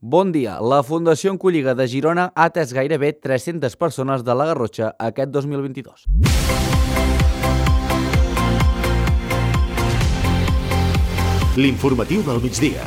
Bon dia. La Fundació Oncolliga de Girona ha atès gairebé 300 persones de la Garrotxa aquest 2022. L'informatiu del migdia.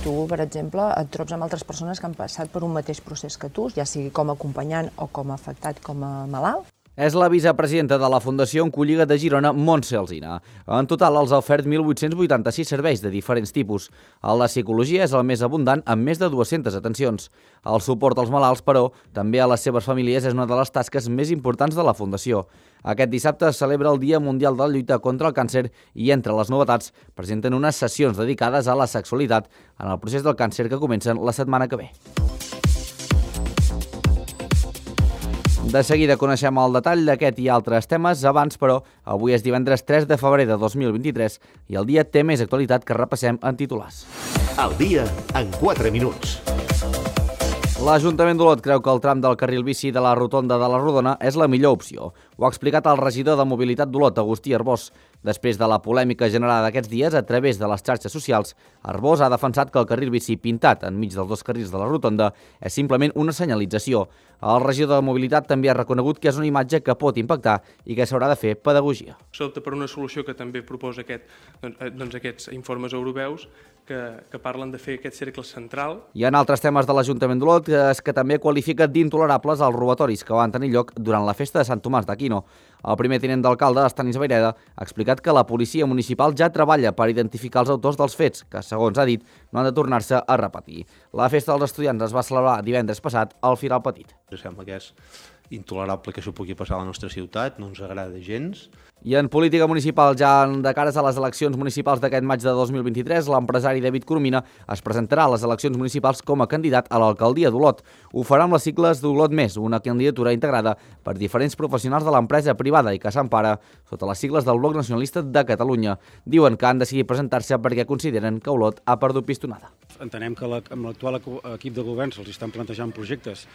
Tu, per exemple, et trobes amb altres persones que han passat per un mateix procés que tu, ja sigui com a acompanyant o com a afectat, com a malalt. És la vicepresidenta de la Fundació Oncolliga de Girona, Montse Alsina. En total, els ha ofert 1.886 serveis de diferents tipus. El de psicologia és el més abundant, amb més de 200 atencions. El suport als malalts, però, també a les seves famílies és una de les tasques més importants de la Fundació. Aquest dissabte es celebra el Dia Mundial de la Lluita contra el Càncer i, entre les novetats, presenten unes sessions dedicades a la sexualitat en el procés del càncer que comencen la setmana que ve. De seguida coneixem el detall d'aquest i altres temes. Abans, però, avui és divendres 3 de febrer de 2023 i el dia té més actualitat que repassem en titulars. El dia en 4 minuts. L'Ajuntament d'Olot creu que el tram del carril bici de la rotonda de la Rodona és la millor opció. Ho ha explicat el regidor de Mobilitat d'Olot, Agustí Arbós. Després de la polèmica generada aquests dies a través de les xarxes socials, Arbós ha defensat que el carril bici pintat enmig dels dos carrils de la rotonda és simplement una senyalització. El regidor de Mobilitat també ha reconegut que és una imatge que pot impactar i que s'haurà de fer pedagogia. S'opta per una solució que també proposa aquests informes europeus que parlen de fer aquest cercle central. I en altres temes de l'Ajuntament d'Olot és que també qualifica d'intolerables els robatoris que van tenir lloc durant la festa de Sant Tomàs d'Aquino. El primer tinent d'alcalde, Estanis Vayreda, ha explicat que la policia municipal ja treballa per identificar els autors dels fets, que, segons ha dit, no han de tornar-se a repetir. La festa dels estudiants es va celebrar divendres passat al Firal Petit. Em sembla que és intolerable que això pugui passar a la nostra ciutat, no ens agrada gens. I en política municipal, ja de cares a les eleccions municipals d'aquest maig de 2023, l'empresari David Coromina es presentarà a les eleccions municipals com a candidat a l'alcaldia d'Olot. Ho farà amb les sigles d'Olot Més, una candidatura integrada per diferents professionals de l'empresa privada i que s'empara sota les sigles del Bloc Nacionalista de Catalunya. Diuen que han decidit presentar-se perquè consideren que Olot ha perdut pistonada. Entenem que amb l'actual equip de govern se'ls estan plantejant projectes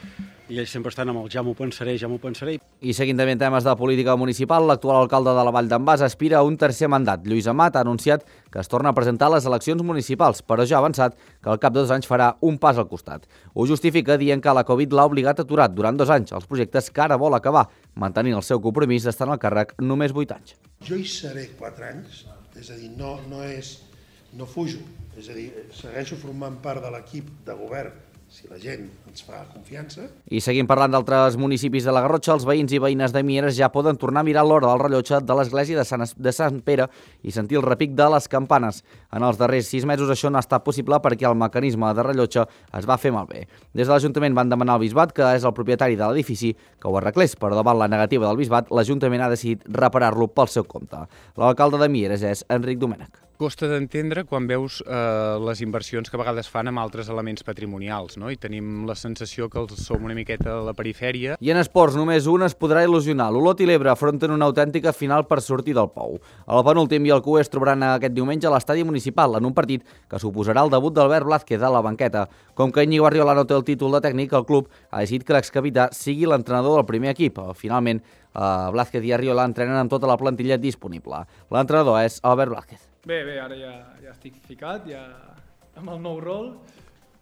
i ells sempre estan amb el ja m'ho pensaré, ja m'ho pensaré. I seguint també en temes de política municipal, l'actual alcalde de la Vall d'en Bas aspira a un tercer mandat. Lluís Amat ha anunciat que es torna a presentar a les eleccions municipals, però ja ha avançat que al cap de 2 anys farà un pas al costat. Ho justifica dient que la Covid l'ha obligat a aturar durant 2 anys els projectes que ara vol acabar, mantenint el seu compromís d'estar en el càrrec només 8 anys. Jo hi seré 4 anys, és a dir, no fujo, és a dir, segueixo formant part de l'equip de govern si la gent ens fa confiança. I seguim parlant d'altres municipis de la Garrotxa, els veïns i veïnes de Mieres ja poden tornar a mirar l'hora del rellotge de l'església de Sant Pere i sentir el repic de les campanes. En els darrers 6 mesos això no ha estat possible perquè el mecanisme de rellotge es va fer malbé. Des de l'Ajuntament van demanar al Bisbat, que és el propietari de l'edifici, que ho arreglés, però davant la negativa del Bisbat, l'Ajuntament ha decidit reparar-lo pel seu compte. L'alcalde de Mieres és Enric Domènech. Costa d'entendre quan veus les inversions que a vegades fan amb altres elements patrimonials, no? I tenim la sensació que els som una miqueta a la perifèria. I en esports només un es podrà il·lusionar. L'Olot i l'Ebre afronten una autèntica final per sortir del pou. El penúltim i el QE es trobaran aquest diumenge a l'estadi municipal en un partit que suposarà el debut d'Albert Blázquez a la banqueta. Com que Íñigo Arriola no té el títol de tècnic, el club ha decidit que l'excapità sigui l'entrenador del primer equip. Finalment, Blázquez i Arriola entrenen amb tota la plantilla disponible. L'entrenador és Albert Blázquez. Bé, ara ja estic ficat, ja amb el nou rol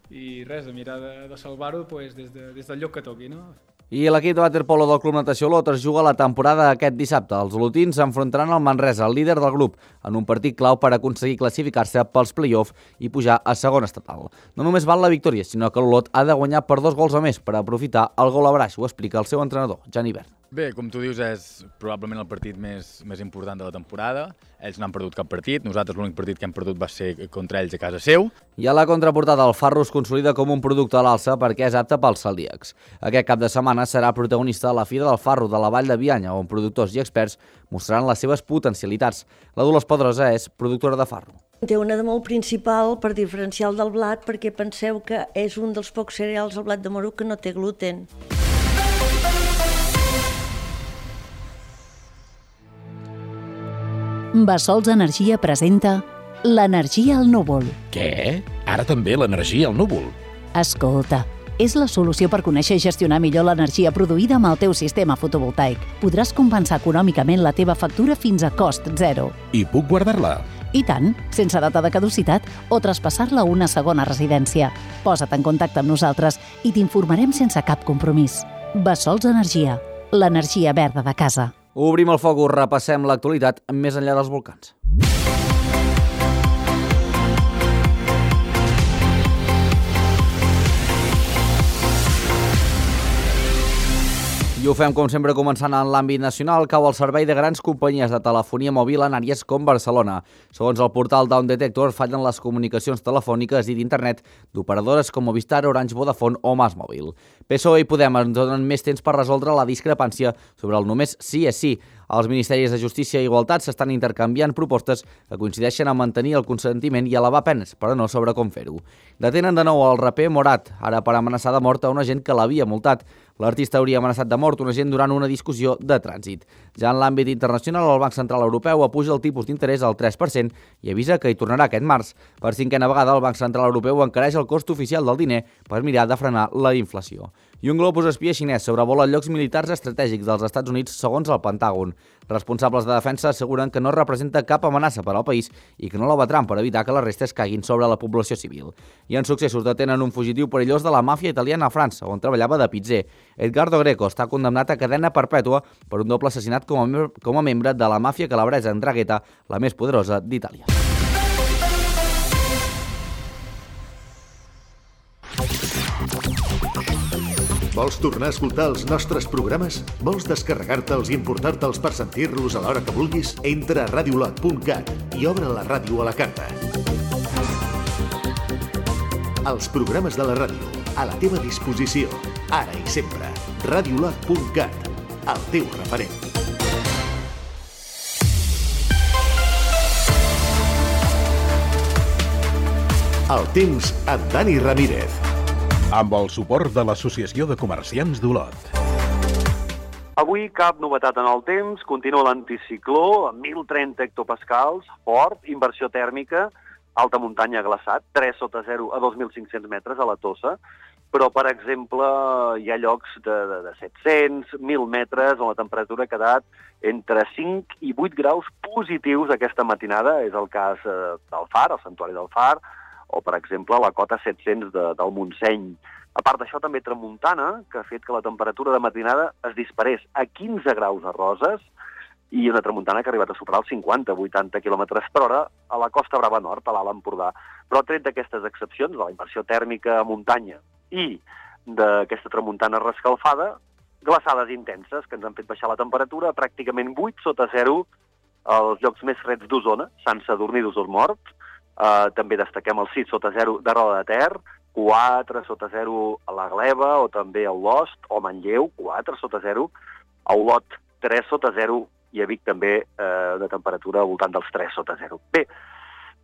i res, a mirar de salvar-ho des del lloc que toqui, no? I l'equip de waterpolo del Club Natació Olot es juga la temporada aquest dissabte. Els olotins s'enfrontaran al Manresa, el líder del grup, en un partit clau per aconseguir classificar-se pels play-off i pujar a segona estatal. No només val la victòria, sinó que l'Olot ha de guanyar per 2 gols a més per aprofitar el gol a braç, ho explica el seu entrenador, Jan Ibert. Bé, com tu dius, és probablement el partit més important de la temporada. Ells no han perdut cap partit, nosaltres l'únic partit que hem perdut va ser contra ells a casa seu. I a la contraportada, el Farro es consolida com un producte a l'alça perquè és apte pels celíacs. Aquest cap de setmana serà protagonista a la Fira del Farro de la Vall de Bianya, on productors i experts mostraran les seves potencialitats. La Dolors Pedrosa és productora de farro. Té una de molt principal per diferenciar el del blat, perquè penseu que és un dels pocs cereals, el blat de moro, que no té gluten. Bassols Energia presenta l'energia al núvol. Què? Ara també l'energia al núvol? Escolta, és la solució per conèixer i gestionar millor l'energia produïda amb el teu sistema fotovoltaic. Podràs compensar econòmicament la teva factura fins a cost zero. I puc guardar-la? I tant, sense data de caducitat o traspassar-la a una segona residència. Posa't en contacte amb nosaltres i t'informarem sense cap compromís. Bessols Energia, l'energia verda de casa. Obrim el focus, repassem l'actualitat més enllà dels volcans. I ho fem, com sempre, començant en l'àmbit nacional. Cau el servei de grans companyies de telefonia mòbil en àrees com Barcelona. Segons el portal Down Detector, fallen les comunicacions telefòniques i d'internet d'operadores com Movistar, Orange, Vodafone o MásMóvil. PSOE i Podem ens donen més temps per resoldre la discrepància sobre el només sí és sí. Els Ministeris de Justícia i Igualtat s'estan intercanviant propostes que coincideixen a mantenir el consentiment i elevar penes, però no sobre com fer-ho. Detenen de nou el raper Morat, ara per amenaçar de mort a un agent que l'havia multat. L'artista hauria amenaçat de mort un agent durant una discussió de trànsit. Ja en l'àmbit internacional, el Banc Central Europeu apuja el tipus d'interès al 3% i avisa que hi tornarà aquest març. Per cinquena vegada, el Banc Central Europeu encareix el cost oficial del diner per mirar de frenar la inflació. I un globus espia xinès sobrevola llocs militars estratègics dels Estats Units segons el Pentàgon. Responsables de defensa asseguren que no representa cap amenaça per al país i que no l'abatran per evitar que les restes caiguin sobre la població civil. I en successos detenen un fugitiu perillós de la màfia italiana a França, on treballava de pizzer. Edgardo Greco està condemnat a cadena perpètua per un doble assassinat com a membre de la màfia calabresa Ndrangheta, la més poderosa d'Itàlia. Vols tornar a escoltar els nostres programes? Vols descarregar-te'ls i emportar-te'ls per sentir-los a l'hora que vulguis? Entra a radiolot.cat i obre la ràdio a la carta. Els programes de la ràdio, a la teva disposició, ara i sempre. Radiolot.cat, el teu referent. El temps amb Dani Ramírez. Amb el suport de l'Associació de Comerciants d'Olot. Avui cap novetat en el temps, continua l'anticicló amb 1.030 hectopascals, fort, inversió tèrmica, alta muntanya glaçat, 3 sota 0 a 2.500 metres a la Tossa, però, per exemple, hi ha llocs de 700, 1.000 metres on la temperatura ha quedat entre 5 i 8 graus positius aquesta matinada. És el cas del Far, el Santuari del Far, o, per exemple, la cota 700 del Montseny. A part d'això, també tramuntana, que ha fet que la temperatura de matinada es disparés a 15 graus a Roses i una tramuntana que ha arribat a superar els 50-80 km per hora a la Costa Brava Nord, a l'Alt Empordà. Però tret d'aquestes excepcions, de la inversió tèrmica a muntanya i d'aquesta tramuntana rescalfada, glaçades intenses que ens han fet baixar la temperatura a pràcticament 8 sota 0 als llocs més freds d'Osona, Sant Sadurní d'Osormort. També destaquem el 6 sota 0 de Roda de Ter, 4 sota 0 a la Gleva o també a Olost o Manlleu, 4 sota 0, a Olot 3 sota 0 i a Vic també de temperatura al voltant dels 3 sota 0. Bé,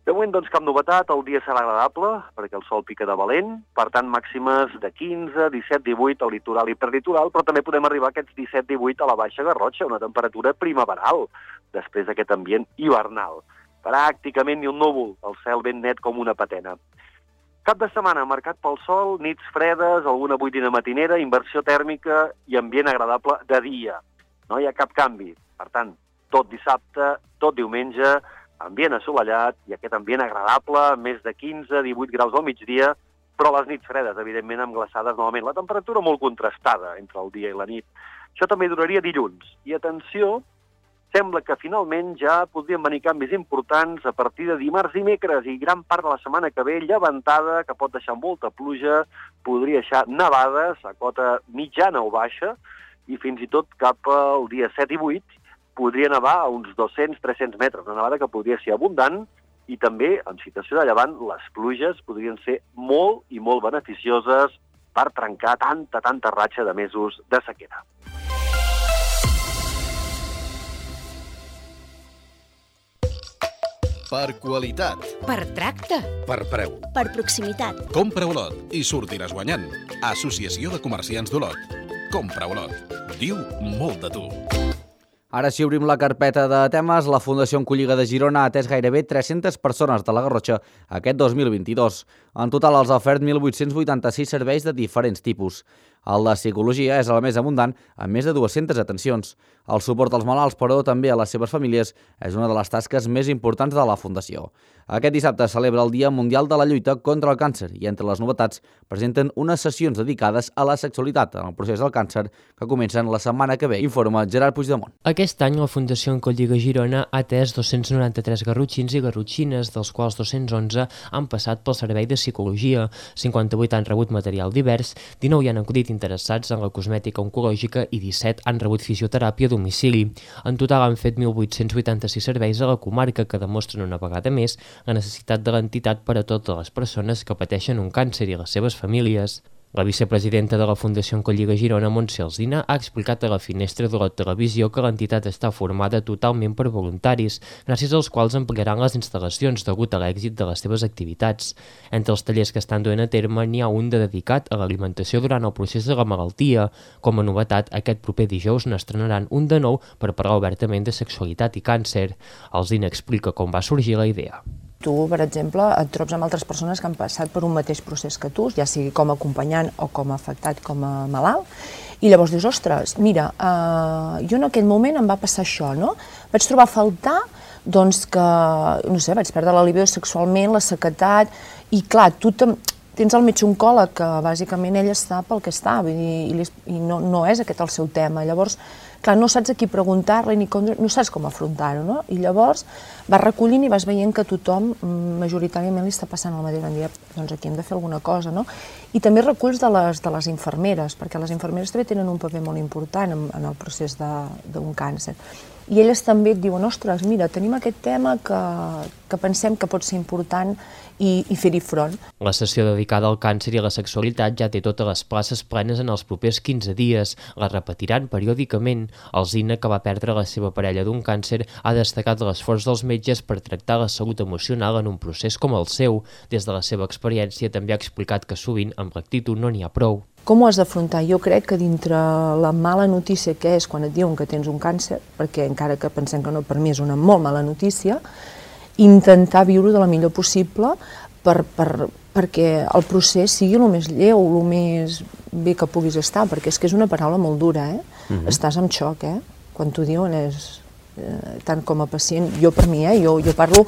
de moment doncs cap novetat, el dia serà agradable perquè el sol pica de valent, per tant màximes de 15, 17, 18 al litoral i perlitoral, però també podem arribar a aquests 17, 18 a la Baixa Garrotxa, una temperatura primaveral després d'aquest ambient hivernal. Pràcticament ni un núvol, el cel ben net com una patena. Cap de setmana marcat pel sol, nits fredes, alguna boirina matinera, inversió tèrmica i ambient agradable de dia. No hi ha cap canvi. Per tant, tot dissabte, tot diumenge, ambient assolellat i aquest ambient agradable, més de 15-18 graus al migdia, però les nits fredes, evidentment, amb glaçades novament. La temperatura molt contrastada entre el dia i la nit. Això també duraria dilluns. I atenció, sembla que finalment ja podrien venir canvis importants a partir de dimarts i dimecres i gran part de la setmana que ve llevantada, que pot deixar molta pluja, podria deixar nevades a cota mitjana o baixa i fins i tot cap al dia 7 i 8 podria nevar a uns 200-300 metres, una nevada que podria ser abundant i també, en situació de llevant, les pluges podrien ser molt i molt beneficioses per trencar tanta ratxa de mesos de sequera. Per qualitat. Per tracte. Per preu. Per proximitat. Compra Olot i sortiràs guanyant. Associació de Comerciants d'Olot. Compra Olot. Diu molt de tu. Ara sí obrim la carpeta de temes. La Fundació Oncolliga de Girona ha atès gairebé 300 persones de la Garrotxa aquest 2022. En total els ha ofert 1.886 serveis de diferents tipus. El de psicologia és el més abundant, amb més de 200 atencions. El suport als malalts, però també a les seves famílies, és una de les tasques més importants de la Fundació. Aquest dissabte celebra el Dia Mundial de la Lluita contra el Càncer i entre les novetats presenten unes sessions dedicades a la sexualitat en el procés del càncer que comencen la setmana que ve, informa Gerard Puigdemont. Aquest any la Fundació Oncolliga Girona ha atès 293 garrotxins i garrotxines, dels quals 211 han passat pel servei de psicologia, 58 han rebut material divers, 19 hi han acudit interessats en la cosmètica oncològica i 17 han rebut fisioteràpia a domicili. En total han fet 1.886 serveis a la comarca que demostren una vegada més la necessitat de l'entitat per a totes les persones que pateixen un càncer i les seves famílies. La vicepresidenta de la Fundació Oncolliga Girona, Montse Alsina, ha explicat a la Finestra d'Olot Televisió que l'entitat està formada totalment per voluntaris, gràcies als quals ampliaran les instal·lacions degut a l'èxit de les seves activitats. Entre els tallers que estan duent a terme n'hi ha un de dedicat a l'alimentació durant el procés de la malaltia. Com a novetat, aquest proper dijous n'estrenaran un de nou per parlar obertament de sexualitat i càncer. Alsina explica com va sorgir la idea. Tu, per exemple, et trobes amb altres persones que han passat per un mateix procés que tu, ja sigui com a acompanyant o com a afectat, com a malalt, i llavors dius, ostres, mira, jo en aquell moment em va passar això, no? Vaig trobar a faltar, doncs, que, no sé, vaig perdre la libido sexualment, la sequedat, i clar, tu tens el metge oncòleg, que bàsicament ell està pel que està, vull dir, i no és aquest el seu tema. Llavors, clar, no saps a qui preguntar-li, no saps com afrontar-ho, no? I llavors vas recollint i vas veient que tothom majoritàriament li està passant el mateix. Van dir, doncs aquí hem de fer alguna cosa, no? I també reculls de les infermeres, perquè les infermeres també tenen un paper molt important en el procés d'un càncer. I elles també et diuen, ostres, mira, tenim aquest tema que pensem que pot ser important i fer-hi front. La sessió dedicada al càncer i a la sexualitat ja té totes les places plenes en els propers 15 dies. La repetiran periòdicament. Alsina, que va perdre la seva parella d'un càncer, ha destacat l'esforç dels metges per tractar la salut emocional en un procés com el seu. Des de la seva experiència també ha explicat que sovint amb l'actitud no n'hi ha prou. Com ho has d'afrontar? Jo crec que dintre la mala notícia que és quan et diuen que tens un càncer, perquè encara que pensem que no, per mi és una molt mala notícia, intentar viure de la millor possible perquè el procés sigui el més lleu, el més bé que puguis estar, perquè és que és una paraula molt dura, Estàs en xoc, Quan t'ho diuen és tant com a pacient, jo per mi, jo parlo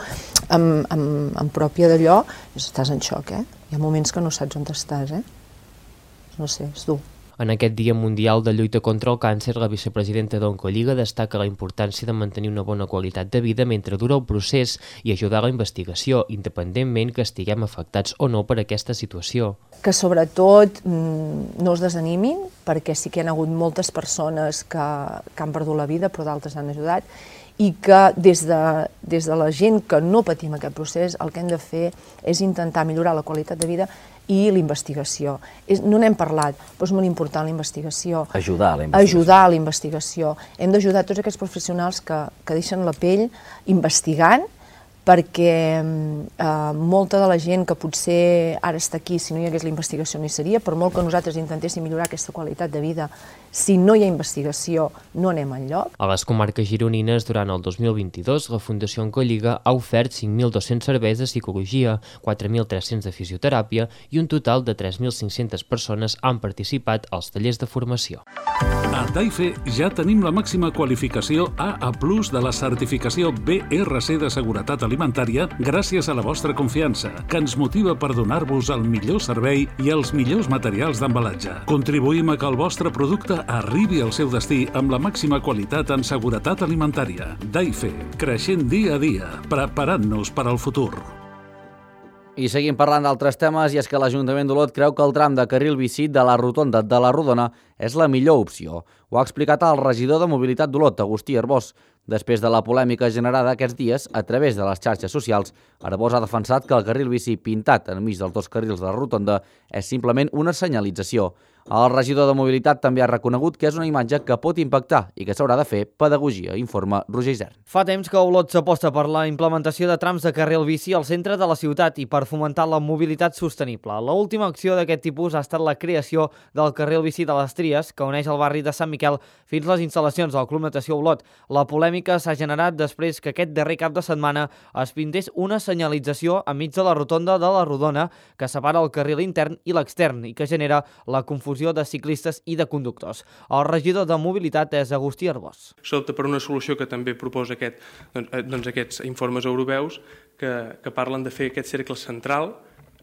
amb pròpia d'allò, estàs en xoc, Hi ha moments que no saps on estàs, No sé, és dur. En aquest Dia Mundial de Lluita contra el Càncer, la vicepresidenta d'Oncolliga destaca la importància de mantenir una bona qualitat de vida mentre dura el procés i ajudar a la investigació, independentment que estiguem afectats o no per aquesta situació. Que sobretot no es desanimin, perquè sí que hi ha hagut moltes persones que han perdut la vida, però d'altres han ajudat, i que des de la gent que no patim aquest procés, el que hem de fer és intentar millorar la qualitat de vida i l'investigació. No n'hem parlat, però és molt important la investigació. Ajudar a la investigació. Ajudar a la investigació. Hem d'ajudar tots aquests professionals que deixen la pell investigant, perquè molta de la gent que potser ara està aquí, si no hi hagués la investigació no hi seria, per molt que nosaltres intentéssim millorar aquesta qualitat de vida, si no hi ha investigació no anem enlloc. A les comarques gironines, durant el 2022, la Fundació Oncolliga ha ofert 5.200 serveis de psicologia, 4.300 de fisioteràpia i un total de 3.500 persones han participat als tallers de formació. A Daife ja tenim la màxima qualificació AA+ de la certificació BRC de seguretat alimentària gràcies a la vostra confiança, que ens motiva per donar-vos el millor servei i els millors materials d'embalatge. Contribuïm a que el vostre producte arribi al seu destí amb la màxima qualitat en seguretat alimentària. Daife, creixent dia a dia, preparant-nos per al futur. I seguim parlant d'altres temes, i és que l'Ajuntament d'Olot creu que el tram de carril bici de la rotonda de la Rodona és la millor opció. Ho ha explicat el regidor de Mobilitat d'Olot, Agustí Arbós. Després de la polèmica generada aquests dies a través de les xarxes socials, Arbós ha defensat que el carril bici pintat enmig dels dos carrils de la rotonda és simplement una senyalització. El regidor de Mobilitat també ha reconegut que és una imatge que pot impactar i que s'haurà de fer pedagogia, informa Roger Isern. Fa temps que Olot s'aposta per la implementació de trams de carril bici al centre de la ciutat i per fomentar la mobilitat sostenible. L'última acció d'aquest tipus ha estat la creació del carril bici de les Tries, que uneix el barri de Sant Miquel fins les instal·lacions del Club Natació Olot. La polèmica polèmica s'ha generat després que aquest darrer cap de setmana es pintés una senyalització enmig de la rotonda de la Rodona que separa el carril intern i l'extern i que genera la confusió de ciclistes i de conductors. El regidor de Mobilitat és Agustí Arbós. S'opta per una solució que també proposa aquests informes europeus que parlen de fer aquest cercle central.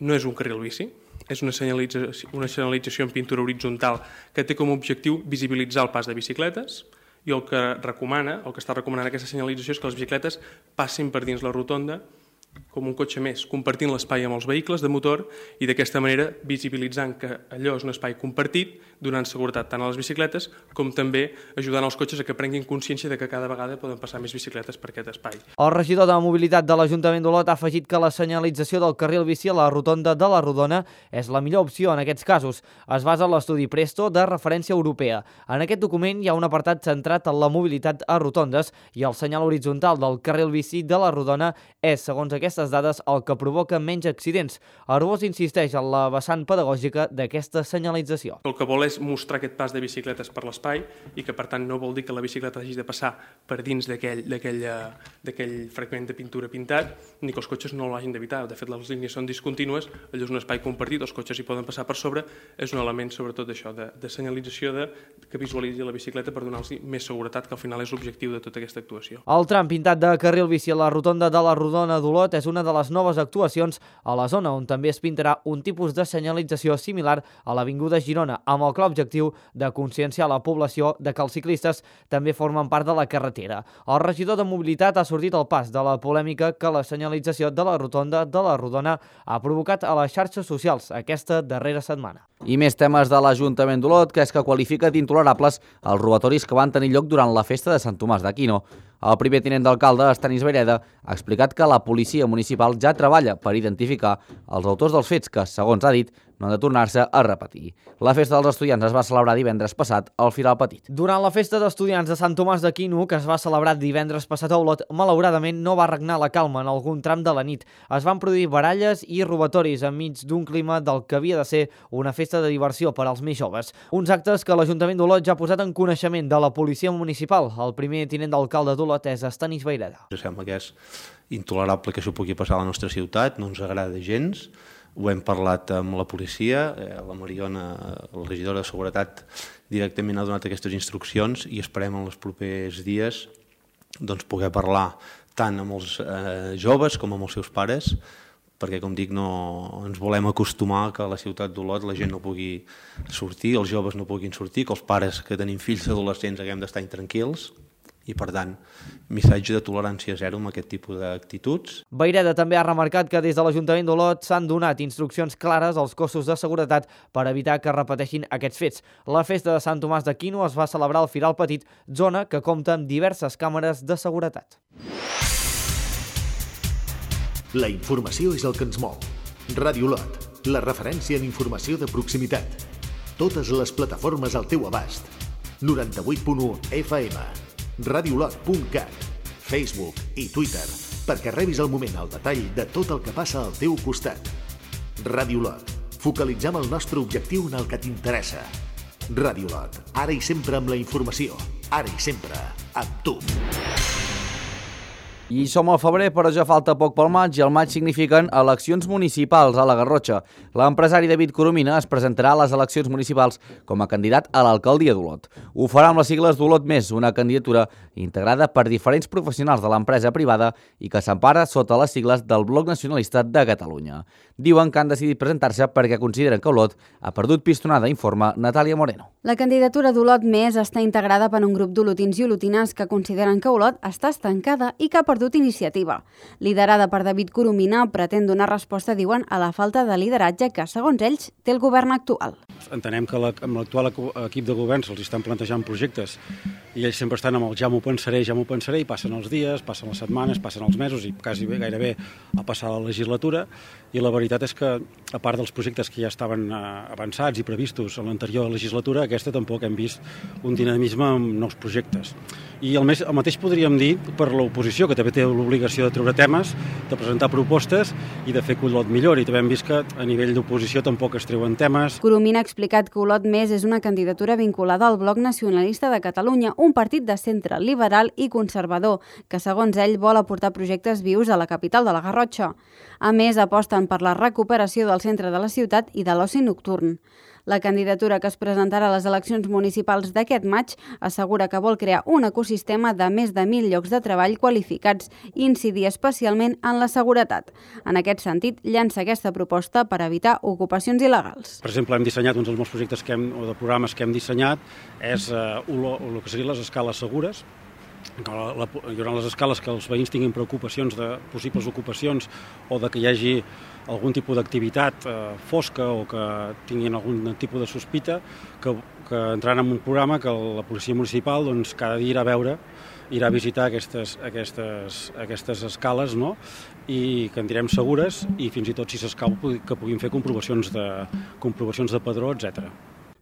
No és un carril bici, és una senyalització en pintura horitzontal que té com a objectiu visibilitzar el pas de bicicletes i el que està recomanant aquesta senyalització és que les bicicletes passin per dins la rotonda com un cotxe més, compartint l'espai amb els vehicles de motor i d'aquesta manera visibilitzant que allò és un espai compartit, donant seguretat tant a les bicicletes com també ajudant els cotxes a que prenguin consciència de que cada vegada poden passar més bicicletes per aquest espai. El regidor de Mobilitat de l'Ajuntament d'Olot ha afegit que la senyalització del carril bici a la rotonda de la Rodona és la millor opció en aquests casos. Es basa en l'estudi Presto de referència europea. En aquest document hi ha un apartat centrat en la mobilitat a rotondes i el senyal horitzontal del carril bici de la Rodona és, segons aquestes dades, el que provoca menys accidents. Arbós insisteix en la vessant pedagògica d'aquesta senyalització. El que vol és mostrar aquest pas de bicicletes per l'espai i que, per tant, no vol dir que la bicicleta hagi de passar per dins d'aquell fragment de pintura pintat ni que els cotxes no l'hagin d'evitar. De fet, les línies són discontínues, allò és un espai compartit, els cotxes hi poden passar per sobre, és un element sobretot d'això, de senyalització que visualitzi la bicicleta per donar-los més seguretat, que al final és l'objectiu de tota aquesta actuació. El tram pintat de carril bici a la rotonda de la Rodona d'Olot és una de les noves actuacions a la zona on també es pintarà un tipus de senyalització similar a l'Avinguda Girona, amb el clar objectiu de conscienciar la població de que els ciclistes també formen part de la carretera. El regidor de Mobilitat ha sortit al pas de la polèmica que la senyalització de la rotonda de la Rodona ha provocat a les xarxes socials aquesta darrera setmana. I més temes de l'Ajuntament d'Olot, que és que qualifica d'intolerables els robatoris que van tenir lloc durant la festa de Sant Tomàs d'Aquino. El primer tinent d'alcalde, Estanis Vayreda, ha explicat que la policia municipal ja treballa per identificar els autors dels fets que, segons ha dit, no han de tornar-se a repetir. La festa dels estudiants es va celebrar divendres passat al Firal Petit. Durant la festa d'estudiants de Sant Tomàs d'Aquino, que es va celebrar divendres passat a Olot, malauradament no va regnar la calma en algun tram de la nit. Es van produir baralles i robatoris enmig d'un clima del que havia de ser una festa de diversió per als més joves. Uns actes que l'Ajuntament d'Olot ja ha posat en coneixement de la policia municipal. El primer tinent d'alcalde d'Olot és Estanis Vayreda. Sembla que és intolerable que això pugui passar a la nostra ciutat, no ens agrada gens. Ho hem parlat amb la policia, la Mariona, la regidora de Seguretat, directament ha donat aquestes instruccions i esperem en els propers dies poder parlar tant amb els joves com amb els seus pares, perquè, com dic, no ens volem acostumar que a la ciutat d'Olot la gent no pugui sortir, els joves no puguin sortir, que els pares que tenim fills adolescents haguem d'estar intranquils. I, per tant, missatge de tolerància zero amb aquest tipus d'actituds. Vayreda també ha remarcat que des de l'Ajuntament d'Olot s'han donat instruccions clares als cossos de seguretat per evitar que repeteixin aquests fets. La festa de Sant Tomàs d'Aquino es va celebrar al Firal Petit, zona que compta amb diverses càmeres de seguretat. La informació és el que ens mou. Ràdio Olot, la referència en informació de proximitat. Totes les plataformes al teu abast. 98.1 FM. radiolot.cat, Facebook i Twitter, perquè rebis al moment el detall de tot el que passa al teu costat. Ràdio Olot, focalitzem el nostre objectiu en el que t'interessa. Ràdio Olot, ara i sempre amb la informació, ara i sempre amb tu. I som al febrer, però ja falta poc pel maig, i el maig signifiquen eleccions municipals a la Garrotxa. L'empresari David Coromina es presentarà a les eleccions municipals com a candidat a l'alcaldia d'Olot. Ho farà amb les sigles d'Olot Més, una candidatura integrada per diferents professionals de l'empresa privada i que s'empara sota les sigles del Bloc Nacionalista de Catalunya. Diuen que han decidit presentar-se perquè consideren que Olot ha perdut pistonada, informa Natàlia Moreno. La candidatura d'Olot Més està integrada per un grup d'olotins i olotines que consideren que Olot està estancada i que ha perdut iniciativa. Liderada per David Coromina, pretén donar resposta, diuen, a la falta de lideratge que, segons ells, té el govern actual. Entenem que amb l'actual equip de govern se'ls estan plantejant projectes i ells sempre estan amb el ja m'ho pensaré, i passen els dies, passen les setmanes, passen els mesos i gairebé ha passat la legislatura, i la veritat és que, a part dels projectes que ja estaven avançats i previstos en l'anterior legislatura, aquesta tampoc hem vist un dinamisme amb nous projectes. I el mateix podríem dir per l'oposició, que també té l'obligació de treure temes, de presentar propostes i de fer que Olot millori. També hem vist que a nivell d'oposició tampoc es treuen temes. Coromina ha explicat que Olot Més és una candidatura vinculada al Bloc Nacionalista de Catalunya, un partit de centre liberal i conservador, que segons ell vol aportar projectes vius a la capital de la Garrotxa. A més, aposten per la recuperació del centre de la ciutat i de l'oci nocturn. La candidatura que es presentarà a les eleccions municipals d'aquest maig assegura que vol crear un ecosistema de més de 1.000 llocs de treball qualificats i incidir especialment en la seguretat. En aquest sentit, llança aquesta proposta per evitar ocupacions il·legals. Per exemple, hem dissenyat uns dels molts projectes o de programes que hem dissenyat és el que serien les escales segures. Hi haurà les escales que els veïns tinguin preocupacions de possibles ocupacions o de que hi hagi algun tipus d'activitat fosca o que tinguin algun tipus de sospita, que entraran en un programa que la policia municipal cada dia irà a visitar aquestes escales, no? I que en direm segures i fins i tot, si s'escau, que puguin fer comprovacions de padró, etc.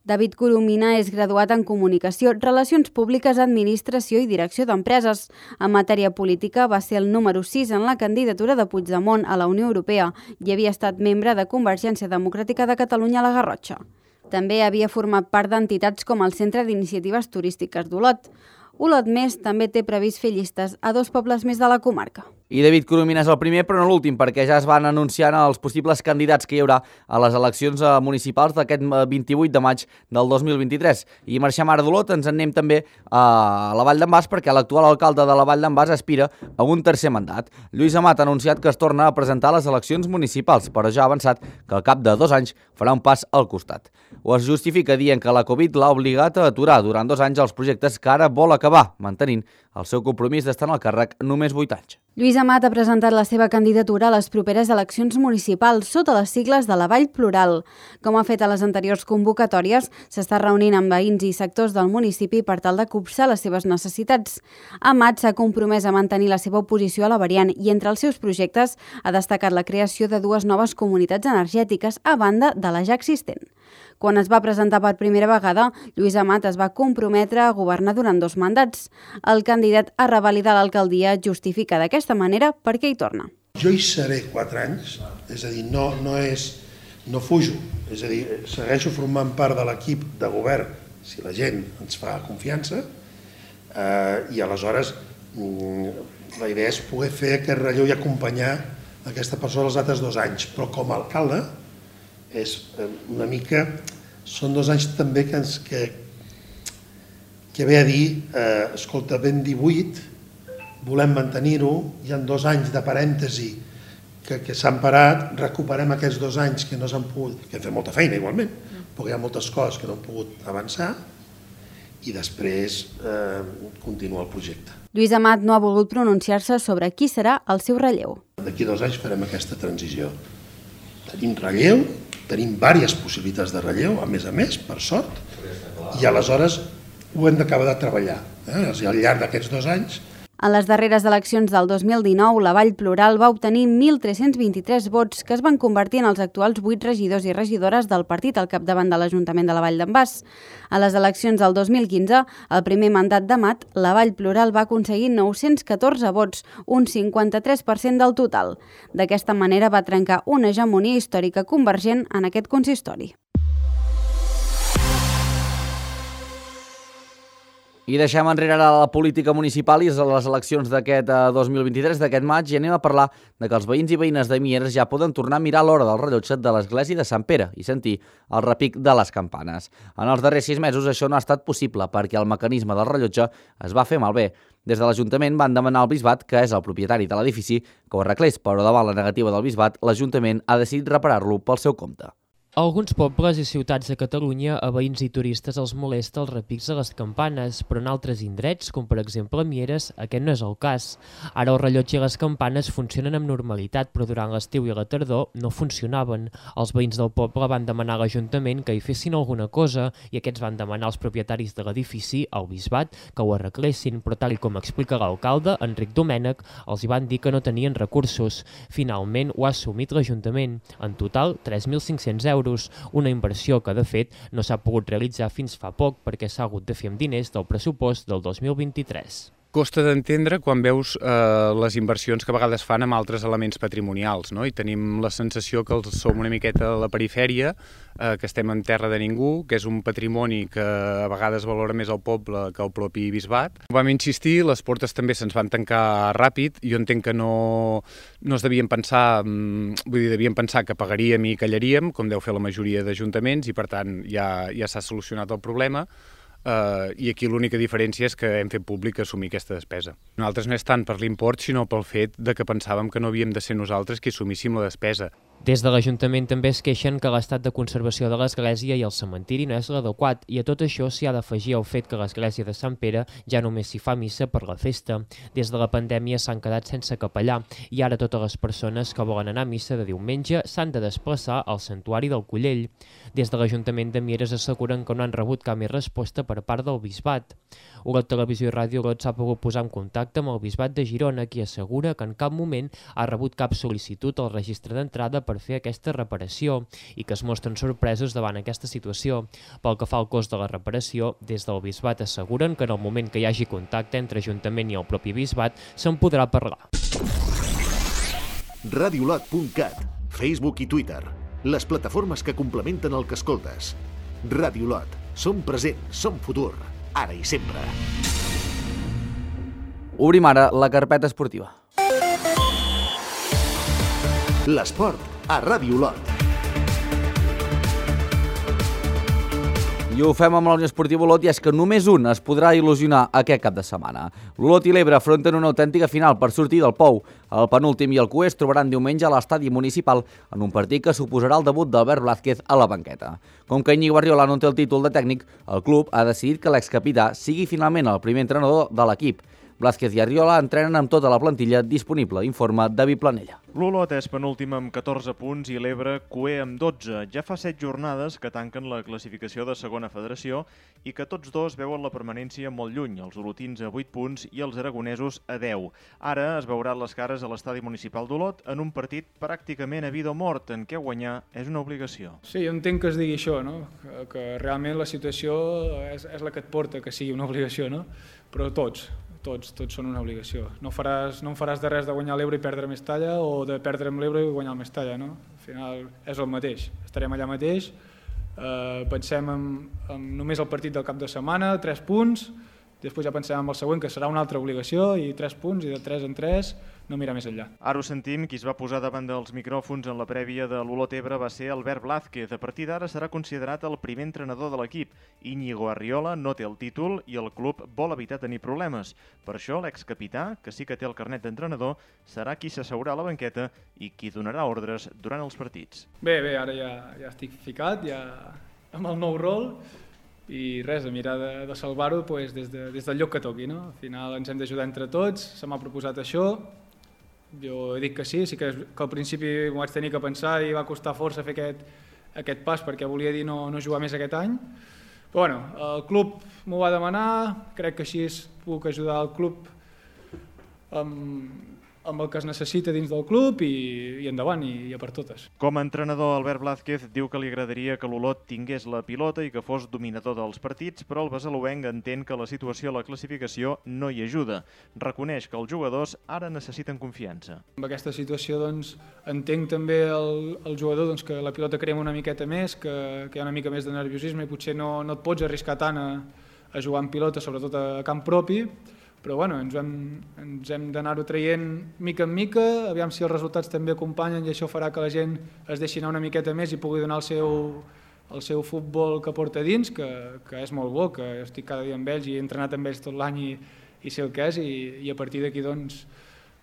David Coromina és graduat en Comunicació, Relacions Públiques, Administració i Direcció d'Empreses. En matèria política va ser el número 6 en la candidatura de Puigdemont a la Unió Europea i havia estat membre de Convergència Democràtica de Catalunya a la Garrotxa. També havia format part d'entitats com el Centre d'Iniciatives Turístiques d'Olot. Olot Més també té previst fer llistes a 2 pobles més de la comarca. I David Coromina és el primer, però no l'últim, perquè ja es van anunciant els possibles candidats que hi haurà a les eleccions municipals d'aquest 28 de maig del 2023. I marxem ara d'Olot, ens en anem també a la Vall d'en Bas, perquè l'actual alcalde de la Vall d'en Bas aspira a un tercer mandat. Lluís Amat ha anunciat que es torna a presentar a les eleccions municipals, però ja ha avançat que al cap de 2 anys farà un pas al costat. Ho es justifica dient que la Covid l'ha obligat a aturar durant 2 anys els projectes que ara vol acabar, mantenint el seu compromís d'estar en el càrrec només 8 anys. Lluís Amat ha presentat la seva candidatura a les properes eleccions municipals sota les sigles de la Vall Plural. Com ha fet a les anteriors convocatòries, s'està reunint amb veïns i sectors del municipi per tal de copsar les seves necessitats. Amat s'ha compromès a mantenir la seva oposició a la variant i entre els seus projectes ha destacat la creació de 2 noves comunitats energètiques a banda de la ja existent. Quan es va presentar per primera vegada, Lluís Amat es va comprometre a governar durant 2 mandats. El candidat a revalidar l'alcaldia justifica d'aquesta manera per què hi torna. Jo hi seré 4 anys, és a dir, no fujo, és a dir, segueixo formant part de l'equip de govern si la gent ens fa confiança i aleshores la idea és poder fer aquest relleu i acompanyar aquesta persona els altres 2 anys, però com a alcalde és una mica, són 2 anys també que ve a dir, escolta, ben 18, volem mantenir-ho, hi ha 2 anys de parèntesi que s'han parat, recuperem aquests 2 anys que no s'han pogut, que hem fet molta feina igualment, perquè hi ha moltes coses que no han pogut avançar i després continua el projecte. Lluís Amat no ha volgut pronunciar-se sobre qui serà el seu relleu. D'aquí 2 anys farem aquesta transició. Tenim relleu, tenim diverses possibilitats de relleu, a més, per sort, i aleshores ho hem d'acabar de treballar. Al llarg d'aquests 2 anys. En les darreres eleccions del 2019, la Vall Plural va obtenir 1.323 vots que es van convertir en els actuals 8 regidors i regidores del partit al capdavant de l'Ajuntament de la Vall d'en Bas. A les eleccions del 2015, el primer mandat d'Amat, la Vall Plural va aconseguir 914 vots, un 53% del total. D'aquesta manera va trencar una hegemonia històrica convergent en aquest consistori. I deixem enrere ara la política municipal i les eleccions d'aquest 2023, d'aquest maig, i anem a parlar de que els veïns i veïnes de Mieres ja poden tornar a mirar l'hora del rellotge de l'església de Sant Pere i sentir el repic de les campanes. En els darrers 6 mesos això no ha estat possible perquè el mecanisme del rellotge es va fer malbé. Des de l'Ajuntament van demanar al Bisbat, que és el propietari de l'edifici, que ho arreglés, però davant la negativa del Bisbat, l'Ajuntament ha decidit reparar-lo pel seu compte. A alguns pobles i ciutats de Catalunya, a veïns i turistes els molesta els repics de les campanes, però en altres indrets, com per exemple a Mieres, aquest no és el cas. Ara el rellotge i les campanes funcionen amb normalitat, però durant l'estiu i la tardor no funcionaven. Els veïns del poble van demanar a l'Ajuntament que hi fessin alguna cosa i aquests van demanar als propietaris de l'edifici, al Bisbat, que ho arreglessin, però tal com explica l'alcalde, Enric Domènech, els hi van dir que no tenien recursos. Finalment ho ha assumit l'Ajuntament. En total, 3.500 euros. Una inversió que, de fet, no s'ha pogut realitzar fins fa poc perquè s'ha hagut de fer amb diners del pressupost del 2023. Costa d'entendre quan veus les inversions que a vegades fan amb altres elements patrimonials, no? I tenim la sensació que som una miqueta a la perifèria, que estem en terra de ningú, que és un patrimoni que a vegades valora més el poble que el propi bisbat. Vam insistir, les portes també se'ns van tancar ràpid, jo entenc que no es devien pensar, devien pensar que pagaríem i callaríem, com deu fer la majoria d'ajuntaments, i per tant ja s'ha solucionat el problema. I aquí l'única diferència és que hem fet públic assumir aquesta despesa. Nosaltres no és tant per l'import, sinó pel fet de que pensàvem que no havíem de ser nosaltres qui assumíssim la despesa. Des de l'Ajuntament també es queixen que l'estat de conservació de l'església i el cementiri no és l'adequat, i a tot això s'hi ha d'afegir el fet que l'església de Sant Pere ja només s'hi fa missa per la festa. Des de la pandèmia s'han quedat sense capellà, i ara totes les persones que volen anar a missa de diumenge s'han de desplaçar al santuari del Collell. Des de l'Ajuntament de Mieres asseguren que no han rebut cap més resposta per part del bisbat. Olot Televisió i Ràdio Olot s'ha pogut posar en contacte amb el bisbat de Girona, qui assegura que en cap moment ha rebut cap sol·licitud al registre d'entrada per fer aquesta reparació i que es mostren sorpresos davant aquesta situació. Pel que fa al cost de la reparació, des del bisbat asseguren que en el moment que hi hagi contacte entre Ajuntament i el propi bisbat se'n podrà parlar. Radiolot.cat, Facebook i Twitter, les plataformes que complementen el que escoltes. Radiolot, som present, som futur, ara i sempre. Obrim ara la carpeta esportiva. L'esport a Ràdio Olot. I ho fem amb la Unió Esportiva Olot, i és que només un es podrà il·lusionar aquest cap de setmana. L'Olot i l'Ebre afronten una autèntica final per sortir del pou. El penúltim i el cuer es trobaran diumenge a l'estadi municipal en un partit que suposarà el debut d'Albert Blázquez a la banqueta. Com que Íñigo Arriola no té el títol de tècnic, el club ha decidit que l'excapità sigui finalment el primer entrenador de l'equip. Blázquez i Arriola entrenen amb tota la plantilla disponible, informa David Planella. L'Olot és penúltim amb 14 punts i l'Ebre cuer amb 12. Ja fa 7 jornades que tanquen la classificació de segona federació i que tots dos veuen la permanència molt lluny, els olotins a 8 punts i els aragonesos a 10. Ara es veuran les cares a l'estadi municipal d'Olot en un partit pràcticament a vida o mort, en què guanyar és una obligació. Sí, jo entenc que es digui això, no? Que realment la situació és la que et porta que sigui una obligació, no? Però tots són una obligació. No em faràs de res de guanyar l'Ebre i perdre més talla o de perdre amb l'Ebre i guanyar el més talla, no? Al final és el mateix. Estarem allà mateix, pensem en només el partit del cap de setmana, 3 punts, després ja pensem en el següent, que serà una altra obligació, i 3 punts, i de 3 en 3, no mirar més enllà. Ara ho sentim, qui es va posar davant dels micròfons en la prèvia de l'Olot-Ebre va ser Albert Blázquez. A partir d'ara serà considerat el primer entrenador de l'equip. Íñigo Arriola no té el títol i el club vol evitar tenir problemes. Per això l'excapità, que sí que té el carnet d'entrenador, serà qui s'asseurà a la banqueta i qui donarà ordres durant els partits. Bé, ara ja estic ficat, ja amb el nou rol, i res, a mirar de salvar-ho des del lloc que toqui, no? Al final ens hem d'ajudar entre tots, se m'ha proposat això, jo he dit que sí que al principi m'ho vaig tenir que pensar i va costar força fer aquest pas perquè volia dir no jugar més aquest any, però bueno, el club m'ho va demanar, crec que així puc ajudar el club amb el que es necessita dins del club i endavant, i a per totes. Com a entrenador, Albert Blázquez diu que li agradaria que l'Olot tingués la pilota i que fos dominador dels partits, però el besaluenc entén que la situació a la classificació no hi ajuda. Reconeix que els jugadors ara necessiten confiança. Amb aquesta situació entenc també el jugador que la pilota crema una miqueta més, que hi ha una mica més de nerviosisme i potser no et pots arriscar tant a jugar amb pilota, sobretot a camp propi, però bueno, ens hem d'anar-ho traient mica en mica, aviam si els resultats també acompanyen i això farà que la gent es deixi anar una miqueta més i pugui donar el seu futbol que porta dins, que és molt bo, que estic cada dia amb ells i he entrenat amb ells tot l'any i sé el que és, i a partir d'aquí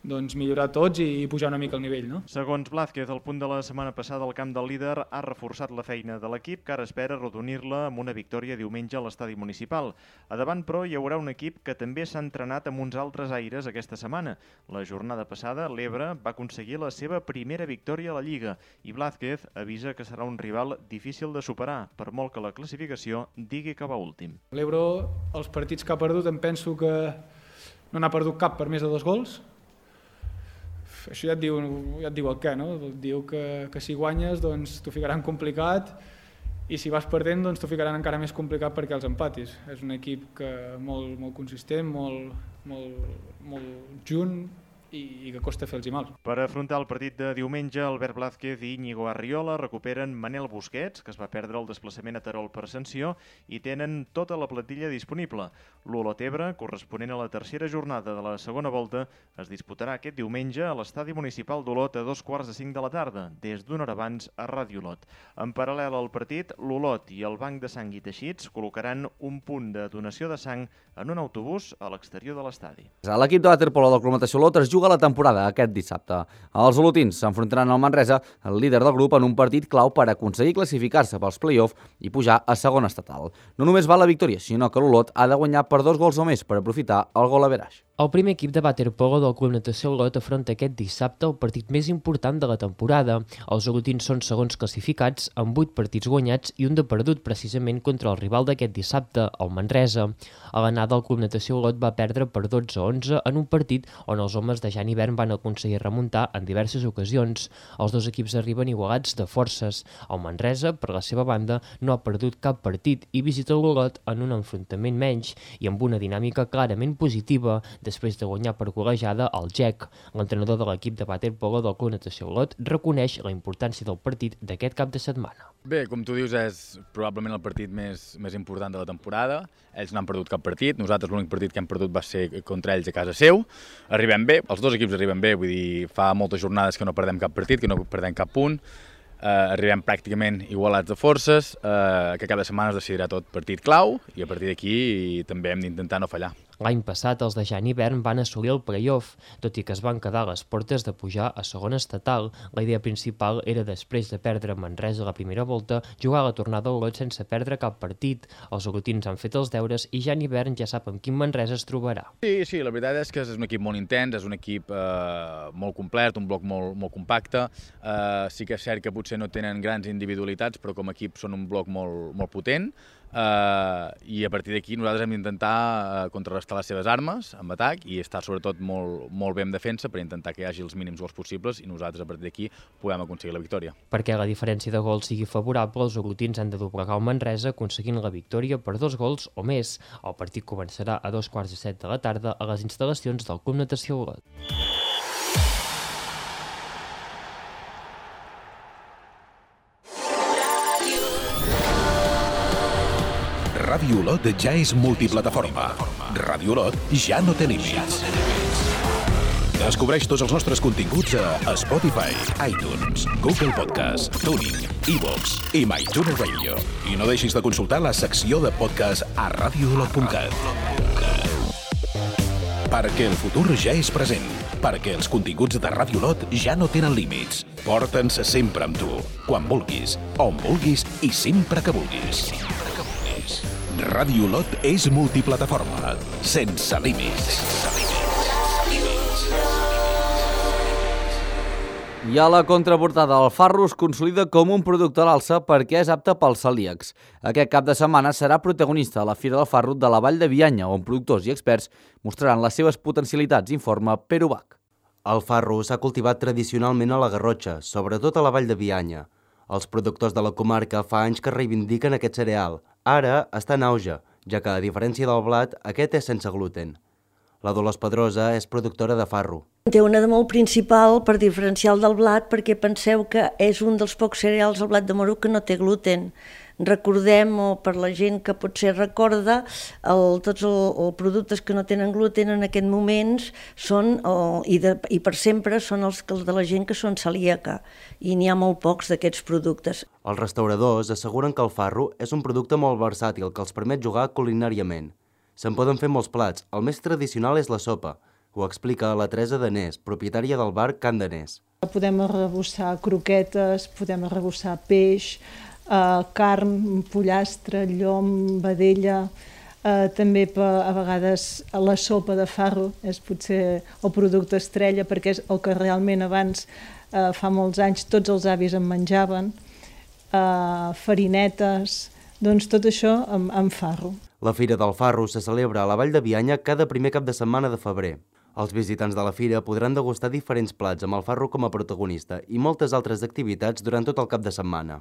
millorar tots i pujar una mica el nivell, no? Segons Blázquez, el punt de la setmana passada al camp del líder ha reforçat la feina de l'equip, que ara espera arrodonir-la amb una victòria diumenge a l'estadi municipal. A davant, però, hi haurà un equip que també s'ha entrenat amb uns altres aires aquesta setmana. La jornada passada, l'Ebre va aconseguir la seva primera victòria a la Lliga i Blázquez avisa que serà un rival difícil de superar, per molt que la classificació digui que va últim. L'Ebre, els partits que ha perdut, em penso que no n'ha perdut cap per més de 2 gols. Això ja et diu el què, no? Diu que si guanyes t'ho ficaran complicat i si vas perdent doncs t'ho ficaran encara més complicat perquè els empatis. És un equip molt consistent, molt junt i que costa fer-los mal. Per afrontar el partit de diumenge, Albert Blázquez i Íñigo Arriola recuperen Manel Busquets, que es va perdre el desplaçament a Terol per sanció, i tenen tota la plantilla disponible. L'Olot Ebre, corresponent a la tercera jornada de la segona volta, es disputarà aquest diumenge a l'estadi municipal d'Olot a 2:45 de la tarda, des d'una hora abans a Ràdio Olot. En paral·lel al partit, l'Olot i el Banc de Sang i Teixits col·locaran un punt de donació de sang en un autobús a l'exterior de l'estadi. L'equip de waterpolo del Club Natació Olot es juga la temporada aquest dissabte. Els olotins s'enfrontaran al Manresa, el líder del grup, en un partit clau per aconseguir classificar-se pels play-off i pujar a segona estatal. No només val la victòria, sinó que l'Olot ha de guanyar per 2 gols o més per aprofitar el gol average. El primer equip de waterpolo del Club Natació Olot afronta aquest dissabte el partit més important de la temporada. Els olotins són segons classificats amb 8 partits guanyats i un de perdut precisament contra el rival d'aquest dissabte, el Manresa. A l'anada el Club Natació Olot va perdre per 12-11 en un partit on els homes de Jan Hivern van aconseguir remuntar en diverses ocasions. Els dos equips arriben igualats de forces. El Manresa, per la seva banda, no ha perdut cap partit i visita l'Olot en un enfrontament menys i amb una dinàmica clarament positiva després de guanyar per golejada el GEC. L'entrenador de l'equip de waterpolo del Club Natació Olot reconeix la importància del partit d'aquest cap de setmana. Bé, com tu dius, és probablement el partit més important de la temporada. Ells no han perdut cap partit, nosaltres l'únic partit que hem perdut va ser contra ells a casa seu. Arribem bé, els dos equips arriben bé, vull dir, fa moltes jornades que no perdem cap partit, que no perdem cap punt. Arribem pràcticament igualats de forces, que cada setmana es decidirà tot partit clau i a partir d'aquí també hem d'intentar no fallar. L'any passat els de Jan Hivern van assolir el play-off, tot i que es van quedar a les portes de pujar a segona estatal. La idea principal era, després de perdre Manresa a la primera volta, jugar a la tornada a Olot sense perdre cap partit. Els olotins han fet els deures i Jan Hivern ja sap amb quin Manresa es trobarà. Sí, la veritat és que és un equip molt intens, és un equip molt complet, un bloc molt compacte. Sí que és cert que potser no tenen grans individualitats, però com a equip són un bloc molt potent. I a partir d'aquí nosaltres hem d'intentar contrarrestar les seves armes amb atac i estar sobretot molt bé en defensa per intentar que hi hagi els mínims gols possibles i nosaltres a partir d'aquí puguem aconseguir la victòria. Perquè la diferència de gols sigui favorable, els olotins han de doblegar el Manresa aconseguint la victòria per 2 gols o més. El partit començarà a 2:45 de la tarda a les instal·lacions del Club Natació Olot. Ràdio Olot ja és multiplataforma. Ràdio Olot ja no té límits. Descobreix tots els nostres continguts a Spotify, iTunes, Google Podcast, TuneIn, iVoox i MyTuner Radio. I no deixis de consultar la secció de podcast a radioolot.cat. Perquè el futur ja és present. Perquè els continguts de Ràdio Olot ja no tenen límits. Porta'ns sempre amb tu, quan vulguis, on vulguis i sempre que vulguis. Ràdio Olot és multiplataforma, sense límits. I a la contraportada, el farro es consolida com un producte a l'alça perquè és apte pels celíacs. Aquest cap de setmana serà protagonista a la Fira del Farro de la Vall de Bianya, on productors i experts mostraran les seves potencialitats, informa Pere Ubach. El farro s'ha cultivat tradicionalment a la Garrotxa, sobretot a la Vall de Bianya. Els productors de la comarca fa anys que reivindiquen aquest cereal. Ara està en auge, ja que, a diferència del blat, aquest és sense gluten. La Dolors Pedrosa és productora de farro. Té una de molt principal per diferencial del blat, perquè penseu que és un dels pocs cereals, el blat de moro, que no té gluten. Recordem, o per la gent que potser recorda, tots els productes que no tenen gluten en aquest moments són, i per sempre, són els de la gent que són celíaca, i n'hi ha molt pocs d'aquests productes. Els restauradors asseguren que el farro és un producte molt versàtil que els permet jugar culinàriament. Se'n poden fer molts plats, el més tradicional és la sopa. Ho explica la Teresa Danés, propietària del bar Can Danés. Podem arrebossar croquetes, podem arrebossar peix, carn, pollastre, llom, vedella, també a vegades la sopa de farro és potser el producte estrella perquè és el que realment abans, fa molts anys, tots els avis en menjaven, farinetes, doncs tot això amb farro. La Fira del Farro se celebra a la Vall de Bianya cada primer cap de setmana de febrer. Els visitants de la fira podran degustar diferents plats amb el farro com a protagonista i moltes altres activitats durant tot el cap de setmana.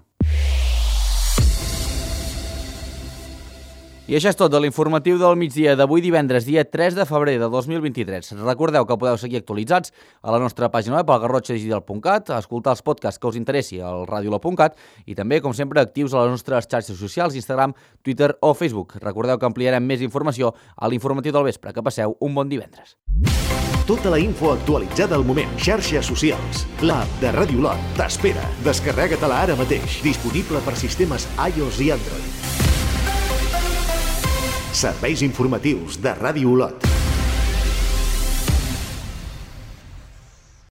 I això és tot de l'informatiu del migdia d'avui divendres, dia 3 de febrer de 2023. Recordeu que podeu seguir actualitzats a la nostra pàgina web, al garrotxadigital.cat, escoltar els podcasts que us interessi al radiolot.cat i també, com sempre, actius a les nostres xarxes socials, Instagram, Twitter o Facebook. Recordeu que ampliarem més informació a l'informatiu del vespre. Que passeu un bon divendres. Tota la info actualitzada al moment. Xarxes socials. L'app de Ràdio Lot t'espera. Descarrega-te-la ara mateix. Disponible per sistemes iOS i Android. Serveis informatius de Ràdio Lot.